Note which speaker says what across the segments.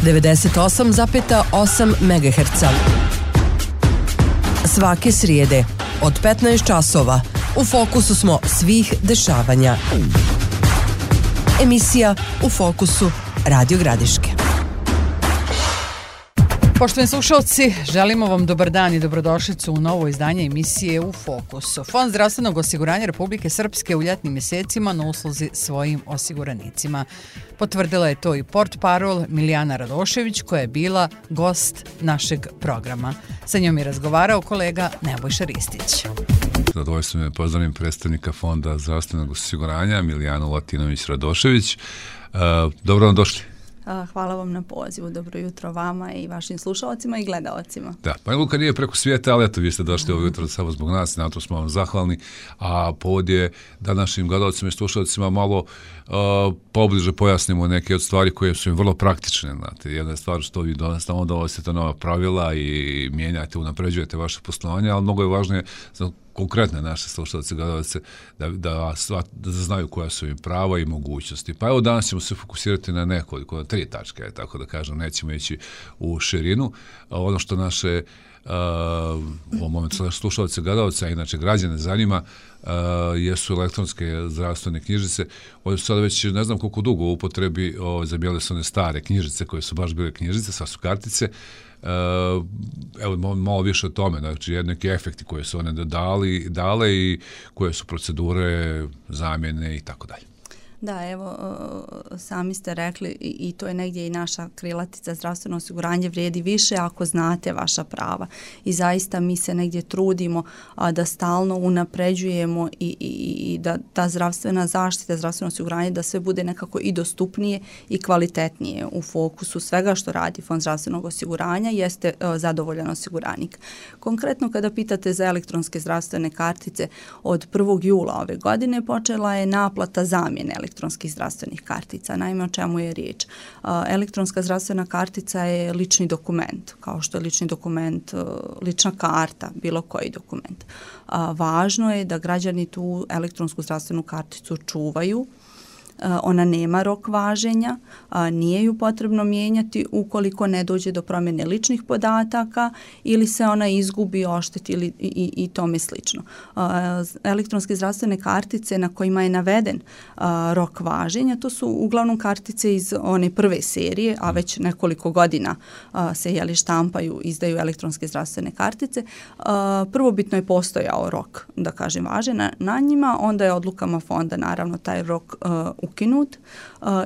Speaker 1: 98,8 MHz. Svake srijede od 15 časova u fokusu smo svih dešavanja. Emisija U fokusu Radio Gradiške.
Speaker 2: Poštovani slušalci, želimo vam dobar dan i dobrodošlicu u novo izdanje emisije U fokusu. Fond zdravstvenog osiguranja Republike Srpske u ljetnim mjesecima na usluzi svojim osiguranicima. Potvrdila je to i portparol Milijana Radošević, koja je bila gost našeg programa. Sa njom je razgovarao kolega Nebojša Ristić.
Speaker 3: Zadovoljstvo me pozdravim predstavnika Fonda zdravstvenog osiguranja Milijanu Latinović-Radošević. Dobro vam došli.
Speaker 4: Hvala vam na pozivu. Dobro jutro vama i vašim slušalcima i gledalcima.
Speaker 3: Da, pa Luka nije preko svijeta, ali eto, vi ste došli ovo jutro samo zbog nas i na to smo vam zahvalni. A povod je da našim gledalcima i slušalcima malo pobliže pojasnimo neke od stvari koje su im vrlo praktične. Znate, jedna stvar što vi donosite, onda donosite nova pravila i mijenjate, unapređujete vaše poslovanje, ali mnogo je važnije za konkretne naše slušalce, gledalce, da znaju koja su im prava i mogućnosti. Pa evo danas ćemo se fokusirati na nekoliko, na 3 tačke, tako da kažem, nećemo ići u širinu. Ono što naše u ovom momentu slušalce, gledalce, a inače građane zanima, jesu elektronske zdravstvene knjižice. One su sada već ne znam koliko dugo u upotrebi, zamijenile su one stare knjižice koje su baš bile knjižice, sad su kartice. Evo malo više o tome, znači neki efekti koje su one dale i koje su procedure, zamjene i tako dalje.
Speaker 4: Da, evo, sami ste rekli i to je negdje i naša krilatica, zdravstveno osiguranje vrijedi više ako znate vaša prava. I zaista mi se negdje trudimo da stalno unapređujemo i da ta zdravstvena zaštita, zdravstveno osiguranje, da sve bude nekako i dostupnije i kvalitetnije. U fokusu svega što radi Fond zdravstvenog osiguranja jeste zadovoljan osiguranik. Konkretno kada pitate za elektronske zdravstvene kartice, od 1. jula ove godine počela je naplata zamjene elektronskih zdravstvenih kartica. Naime, o čemu je riječ? Elektronska zdravstvena kartica je lični dokument, kao što je lični dokument, lična karta, bilo koji dokument. Važno je da građani tu elektronsku zdravstvenu karticu čuvaju. Ona nema rok važenja, nije ju potrebno mijenjati ukoliko ne dođe do promjene ličnih podataka ili se ona izgubi, ošteti i tome slično. Elektronske zdravstvene kartice na kojima je naveden rok važenja, to su uglavnom kartice iz one prve serije, a već nekoliko godina se štampaju, izdaju elektronske zdravstvene kartice. Prvobitno je postojao rok, da kažem, važenja na njima, onda je odlukama fonda naravno taj rok ukinut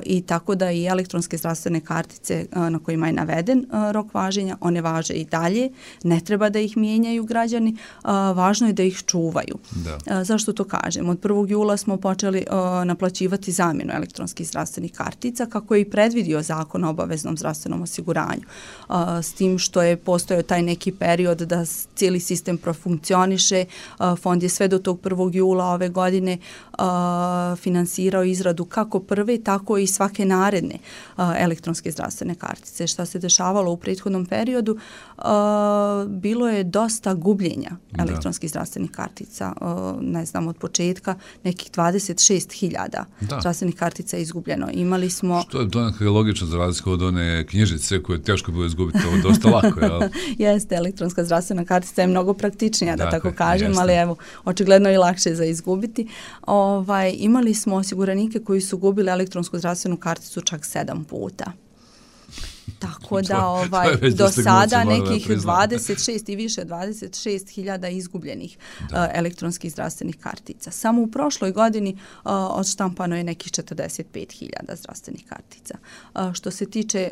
Speaker 4: i tako da i elektronske zdravstvene kartice na kojima je naveden rok važenja, one važe i dalje, ne treba da ih mijenjaju građani, važno je da ih čuvaju. Da. Zašto to kažem? Od 1. jula smo počeli naplaćivati zamjenu elektronskih zdravstvenih kartica kako je i predvidio Zakon o obaveznom zdravstvenom osiguranju. S tim što je postojao taj neki period da cijeli sistem profunkcioniše, fond je sve do tog 1. jula ove godine finansirao izradu kako prve, tako i svake naredne elektronske zdravstvene kartice. Šta se dešavalo u prethodnom periodu? Bilo je dosta gubljenja elektronskih zdravstvenih kartica. Ne znam, od početka nekih 26.000 zdravstvenih kartica je izgubljeno. Imali smo...
Speaker 3: Što je donekle logično za razliku od one knjižice koje teško bilo izgubiti, ovo je dosta lako, jel?
Speaker 4: Jeste, elektronska zdravstvena kartica je mnogo praktičnija, da tako kažem, jeste. Ali evo, očigledno je lakše za izgubiti. Imali smo osiguranike koji su gubili elektronsku zdravstvenu karticu čak 7 puta. Tako da do sada nekih 26 i više 26.000 izgubljenih elektronskih zdravstvenih kartica. Samo u prošloj godini odštampano je nekih 45.000 zdravstvenih kartica. Što se tiče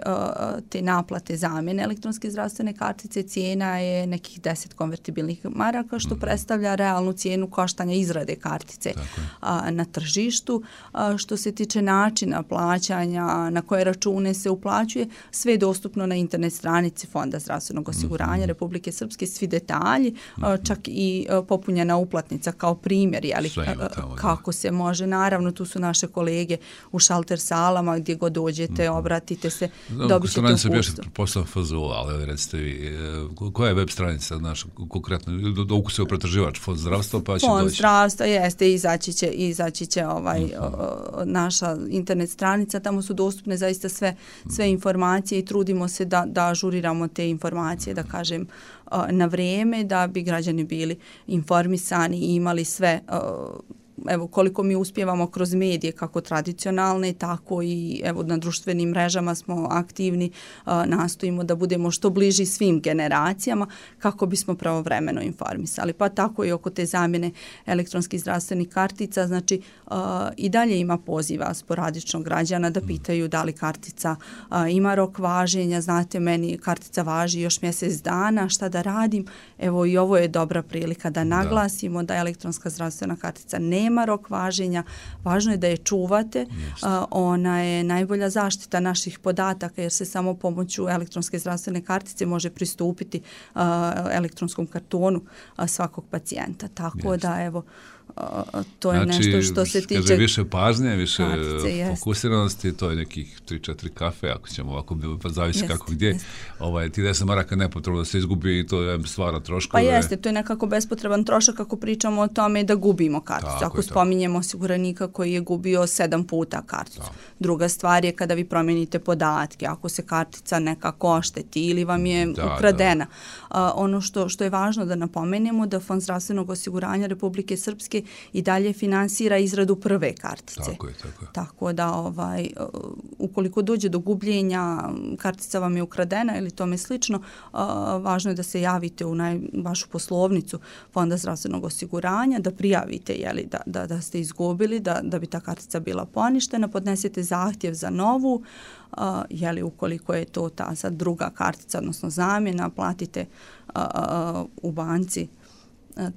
Speaker 4: te naplate zamjene elektronske zdravstvene kartice, cijena je nekih 10 konvertibilnih maraka, što predstavlja realnu cijenu koštanja izrade kartice na tržištu. Što se tiče načina plaćanja, na koje račune se uplaćuje, sve je dostupno na internet stranici Fonda zdravstvenog osiguranja Republike Srpske, svi detalji, čak i popunjena uplatnica kao primjer, kako se može. Naravno, tu su naše kolege u šalter salama, gdje god dođete, obratite se, dobit ćete uputstvo.
Speaker 3: Bješte poslan FZU, ali recite vi, koja je web stranica naša konkretno? Dok se pretraživač Fond zdravstva, pa će doći?
Speaker 4: Fond zdravstva, jeste, izaći će naša internet stranica, tamo su dostupne zaista sve informacije i trudimo trudimo se da ažuriramo te informacije, da kažem, na vrijeme, da bi građani bili informisani i imali sve, evo koliko mi uspijevamo kroz medije, kako tradicionalne, tako i evo na društvenim mrežama smo aktivni, nastojimo da budemo što bliži svim generacijama kako bismo pravovremeno informisali. Pa tako i oko te zamjene elektronskih zdravstvenih kartica, znači i dalje ima poziva sporadično građana da pitaju da li kartica ima rok važenja, znate meni kartica važi još mjesec dana, šta da radim, evo i ovo je dobra prilika da naglasimo da elektronska zdravstvena kartica nema rok važenja, važno je da je čuvate, ona je najbolja zaštita naših podataka jer se samo pomoću elektronske zdravstvene kartice može pristupiti elektronskom kartonu svakog pacijenta, tako da evo to je nešto što se tiče...
Speaker 3: Znači, više pažnje, više fokusiranosti, to je nekih 3-4 kafe, ako ćemo ovako, pa zavisi kako gdje. Ti 10 maraka nepotrebno da se izgubi i to stvara troškove.
Speaker 4: Pa jeste, to je nekako bespotreban trošak ako pričamo o tome da gubimo karticu. Ako spominjemo osiguranika koji je gubio 7 puta karticu. Druga stvar je kada vi promijenite podatke, ako se kartica nekako ošteti ili vam je ukradena. Ono što je važno da napomenemo da Fond zdravstvenog osiguranja Republike Srpske i dalje finansira izradu prve kartice.
Speaker 3: Tako je.
Speaker 4: Tako da ukoliko dođe do gubljenja, kartica vam je ukradena ili tome slično, važno je da se javite u vašu poslovnicu Fonda zdravstvenog osiguranja, da prijavite da ste izgubili, da bi ta kartica bila poništena, podnesete zahtjev za novu, ukoliko je to ta sad druga kartica, odnosno zamjena, platite u banci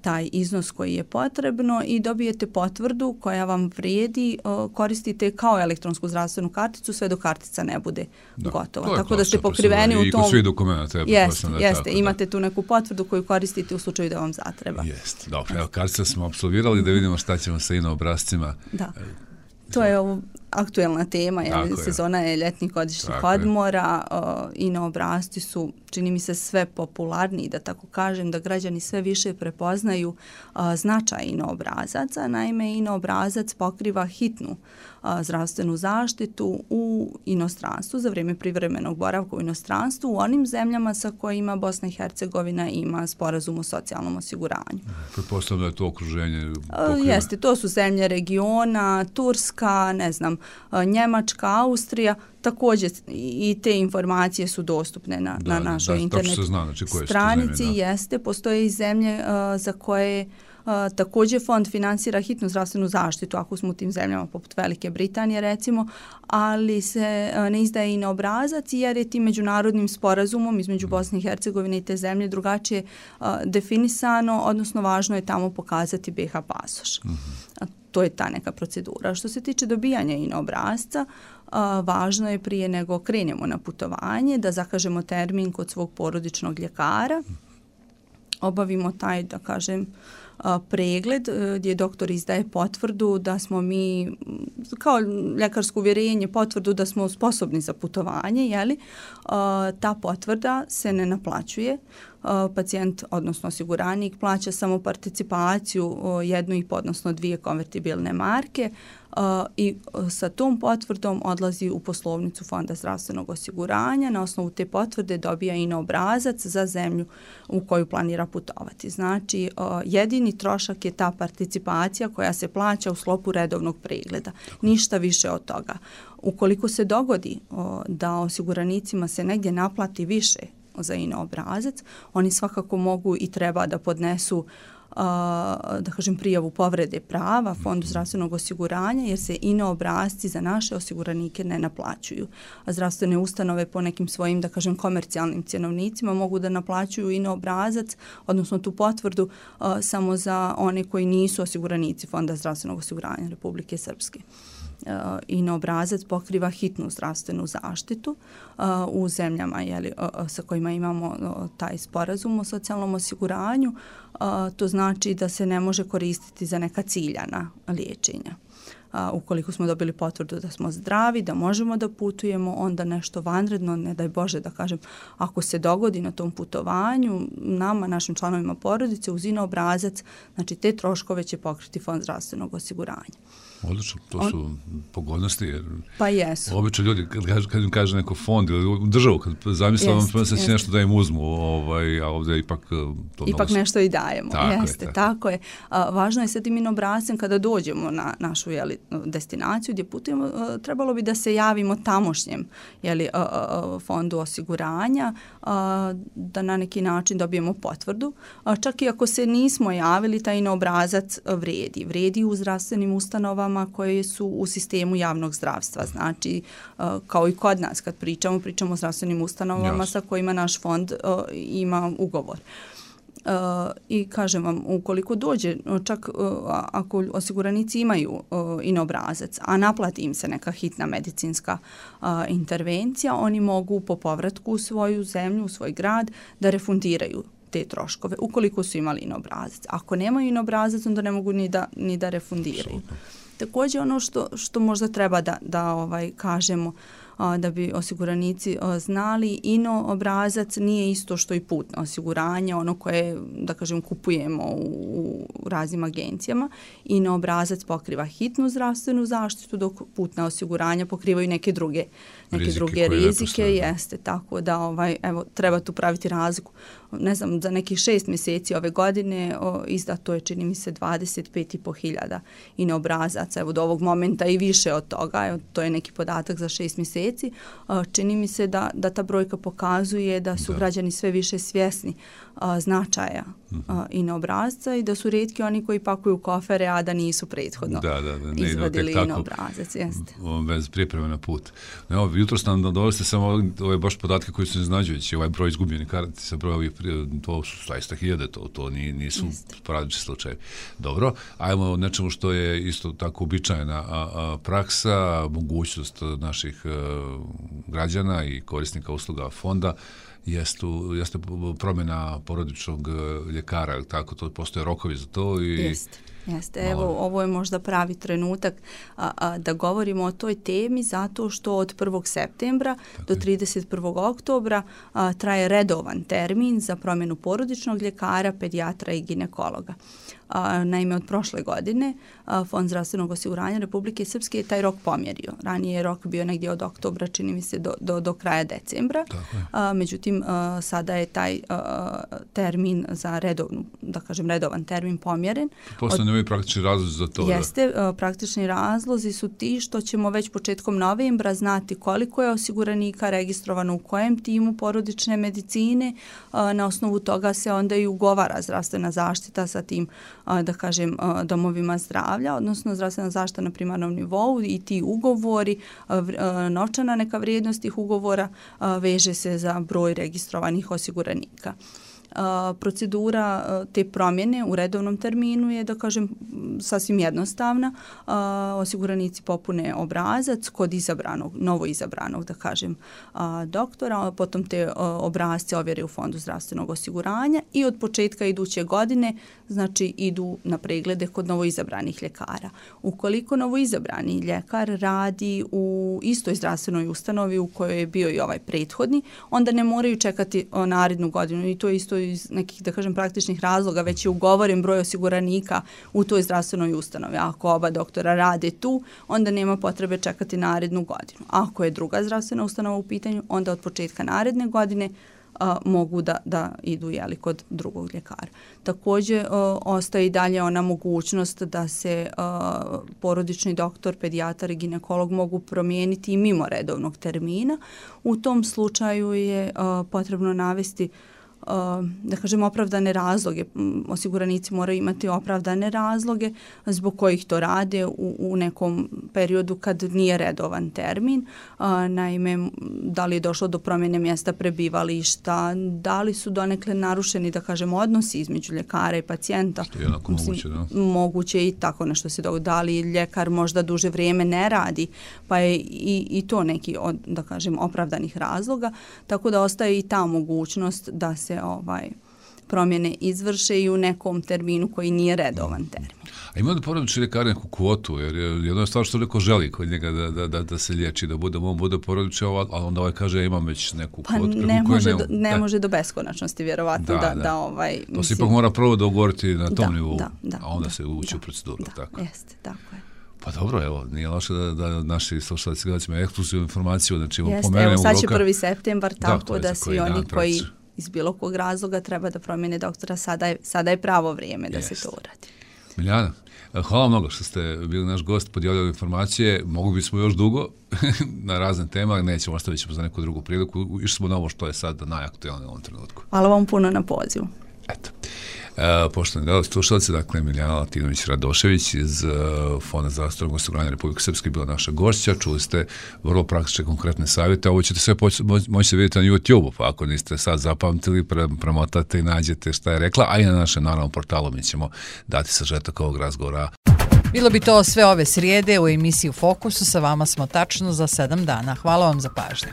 Speaker 4: taj iznos koji je potrebno i dobijete potvrdu koja vam vrijedi, koristite kao elektronsku zdravstvenu karticu sve do kartica ne bude gotova. Tako da ste pokriveni u tom...
Speaker 3: I kod svih dokumenta.
Speaker 4: Jeste, imate tu neku potvrdu koju koristite u slučaju da vam zatreba.
Speaker 3: Jeste, dobro. Evo, kartica smo apsolvirali da vidimo šta ćemo sa INO obrascima.
Speaker 4: Da. To je aktuelna tema, sezona je ljetnih godišnjih odmora, INO obrasci su, čini mi se, sve popularniji, da tako kažem, da građani sve više prepoznaju značaj INO obrazaca. Naime, INO obrazac pokriva hitnu zdravstvenu zaštitu u inostranstvu, za vrijeme privremenog boravka u inostranstvu, u onim zemljama sa kojima Bosna i Hercegovina ima sporazum o socijalnom osiguranju.
Speaker 3: Pretpostavljam da je to okruženje
Speaker 4: Jeste, to su zemlje regiona, Turska, Njemačka, Austrija, također i te informacije su dostupne na našoj internet stranici. Postoje i zemlje za koje također fond finansira hitnu zdravstvenu zaštitu, ako smo u tim zemljama poput Velike Britanije recimo, ali se ne izdaje INO obrazac jer je tim međunarodnim sporazumom između Bosne i Hercegovine i te zemlje drugačije definisano, odnosno važno je tamo pokazati BiH pasoš. To je ta neka procedura. Što se tiče dobijanja INO obrasca, važno je prije nego krenemo na putovanje da zakažemo termin kod svog porodičnog ljekara, obavimo taj, da kažem, pregled gdje doktor izdaje potvrdu da smo mi, kao ljekarsko uvjerenje, potvrdu da smo sposobni za putovanje, ta potvrda se ne naplaćuje. Pacijent, odnosno osiguranik, plaća samo participaciju 1,5 odnosno 2 konvertibilne marke i sa tom potvrdom odlazi u poslovnicu Fonda zdravstvenog osiguranja. Na osnovu te potvrde dobija INO obrazac za zemlju u koju planira putovati. Znači, jedini trošak je ta participacija koja se plaća u sklopu redovnog pregleda. Ništa više od toga. Ukoliko se dogodi da osiguranicima se negdje naplati više za INO obrazac, oni svakako mogu i treba da podnesu da kažem prijavu povrede prava Fondu zdravstvenog osiguranja jer se INO obrazci za naše osiguranike ne naplaćuju. A zdravstvene ustanove po nekim svojim, da kažem, komercijalnim cjenovnicima mogu da naplaćuju INO obrazac, odnosno tu potvrdu samo za one koji nisu osiguranici Fonda zdravstvenog osiguranja Republike Srpske. INO obrazac pokriva hitnu zdravstvenu zaštitu u zemljama sa kojima imamo taj sporazum o socijalnom osiguranju. To znači da se ne može koristiti za neka ciljana liječenja. Ukoliko smo dobili potvrdu da smo zdravi, da možemo da putujemo, onda nešto vanredno, ne daj Bože da kažem, ako se dogodi na tom putovanju, nama, našim članovima porodice, uz INO obrazac, znači te troškove će pokriti Fond zdravstvenog osiguranja.
Speaker 3: Odlično, to su pogodnosti. Jer
Speaker 4: pa jesu.
Speaker 3: Obično ljudi, kad im kaže neko fond ili državu, kad zamisle vam se nešto da im uzmu, a ovdje ipak to
Speaker 4: ipak nešto i dajemo. Tako je. Važno je sa tim obrascem kada dođemo na našu destinaciju gdje putujemo, trebalo bi da se javimo tamošnjem fondu osiguranja, da na neki način dobijemo potvrdu. Čak i ako se nismo javili, taj obrazac vredi u zdravstvenim ustanovama koje su u sistemu javnog zdravstva. Znači, kao i kod nas kad pričamo o zdravstvenim ustanovama sa kojima naš fond ima ugovor. I kažem vam, ukoliko dođe, čak ako osiguranici imaju obrazac, a naplati im se neka hitna medicinska intervencija, oni mogu po povratku u svoju zemlju, u svoj grad, da refundiraju te troškove, ukoliko su imali obrazac. Ako nemaju obrazac, onda ne mogu ni da refundiraju. Također ono što možda treba da kažemo, da bi osiguranici znali, obrazac nije isto što i putno osiguranje, ono koje, da kažem, kupujemo u raznim agencijama. Obrazac pokriva hitnu zdravstvenu zaštitu, dok putna osiguranja pokrivaju neke druge rizike. Jeste, tako da treba tu praviti razliku. Ne znam, za nekih 6 mjeseci ove godine izdato je, čini mi se, 25.500 obrazaca. Evo, do ovog momenta i više od toga. To je neki podatak za 6 mjeseci. Čini mi se da ta brojka pokazuje da su građani sve više svjesni značaja obrazca i da su rijetki oni koji pakuju kofere, a da nisu prethodno izvadili obrazac.
Speaker 3: Bez pripreme na put. Jutros nam dovesti samo ove baš podatke koji su iznađujući, ovaj broj izgubljenih kartica, broj ovih, to su zaista hiljade, to nisu sporadični slučajevi. Dobro, ajmo o nečemu što je isto tako uobičajena praksa, mogućnost naših građana i korisnika usluga fonda jeste promjena porodičnog ljekara, tako, to postoje rokovi za to i
Speaker 4: Jeste, evo, ovo je možda pravi trenutak da govorimo o toj temi, zato što od 1. septembra do 31. oktobra traje redovan termin za promjenu porodičnog ljekara, pedijatra i ginekologa. Naime, od prošle godine Fond zdravstvenog osiguranja Republike Srpske je taj rok pomjerio. Ranije je rok bio negdje od oktobra, čini mi se, do kraja decembra. Međutim, sada je taj termin za redovan termin pomjeren.
Speaker 3: Postoje novi praktični razlozi za to?
Speaker 4: Jeste, praktični razlozi su ti što ćemo već početkom novembra znati koliko je osiguranika registrovano u kojem timu porodične medicine. Na osnovu toga se onda i ugovara zdravstvena zaštita sa tim, da kažem, domovima zdravlja, odnosno zdravstvena zaštita na primarnom nivou i ti ugovori, novčana neka vrijednost tih ugovora veže se za broj registrovanih osiguranika. Procedura te promjene u redovnom terminu je, da kažem, sasvim jednostavna. Osiguranici popune obrazac kod novo izabranog, da kažem, doktora, potom te obrazce ovjere u Fondu zdravstvenog osiguranja i od početka iduće godine, znači, idu na preglede kod novoizabranih ljekara. Ukoliko novoizabrani ljekar radi u istoj zdravstvenoj ustanovi u kojoj je bio i ovaj prethodni, onda ne moraju čekati narednu godinu i to je isto iz nekih, da kažem, praktičnih razloga, već je ugovoren broj osiguranika u toj zdravstvenoj ustanovi. Ako oba doktora rade tu, onda nema potrebe čekati narednu godinu. Ako je druga zdravstvena ustanova u pitanju, onda od početka naredne godine mogu da idu kod drugog ljekara. Također ostaje i dalje ona mogućnost da se porodični doktor, pedijatar i ginekolog mogu promijeniti i mimo redovnog termina. U tom slučaju je potrebno navesti, da kažem, opravdane razloge. Osiguranici moraju imati opravdane razloge zbog kojih to rade u nekom periodu kad nije redovan termin. Naime, da li je došlo do promjene mjesta prebivališta, da li su donekle narušeni, da kažem, odnosi između ljekara i pacijenta.
Speaker 3: Što je jednako moguće, da?
Speaker 4: Moguće i tako nešto se događa. Da li ljekar možda duže vrijeme ne radi, pa je i to neki od, da kažem, opravdanih razloga. Tako da ostaje i ta mogućnost da se promjene izvrše i u nekom terminu koji nije redovan termin.
Speaker 3: A ima da porodični ljekar neku kvotu, jer jedno je stvar što neko želi kod njega da se liječi, da on bude porodični, a onda kaže ja imam već neku kvotu.
Speaker 4: Ne može do beskonačnosti, vjerovatno.
Speaker 3: To se ipak mora prvo dogovoriti na tom nivou, a onda se ući u proceduru.
Speaker 4: Jeste, tako je.
Speaker 3: Pa dobro, evo, nije loše da naši slušalci gledacima ekskluzivnu informaciju, znači
Speaker 4: evo sad će 1. septembar, tako da svi oni koji iz bilo kog razloga treba da promijene doktora, sada je pravo vrijeme da se to uradi.
Speaker 3: Miljana, hvala mnogo što ste bili naš gost, podijelili informacije, mogli bismo još dugo na razne tema, nećemo, ostavit ćemo za neku drugu priliku, išli smo na ovo što je sad najaktualnije u ovom trenutku.
Speaker 4: Hvala vam puno na pozivu.
Speaker 3: Eto. Poštovani gledalci, slušalci, dakle Miljana Latinović-Radošević iz Fonda zdravstvenog osiguranja Republike Srpske bila naša gošća, čuli ste vrlo praktične konkretne savjete, ovo ćete sve moći vidjeti na YouTube-u, pa ako niste sad zapamtili, premotate i nađete šta je rekla, a i na našem naravno portalu mi ćemo dati sažetak ovog razgovora.
Speaker 2: Bilo bi to sve ove srijede u emisiji U fokusu, sa vama smo tačno za 7 dana. Hvala vam za pažnju.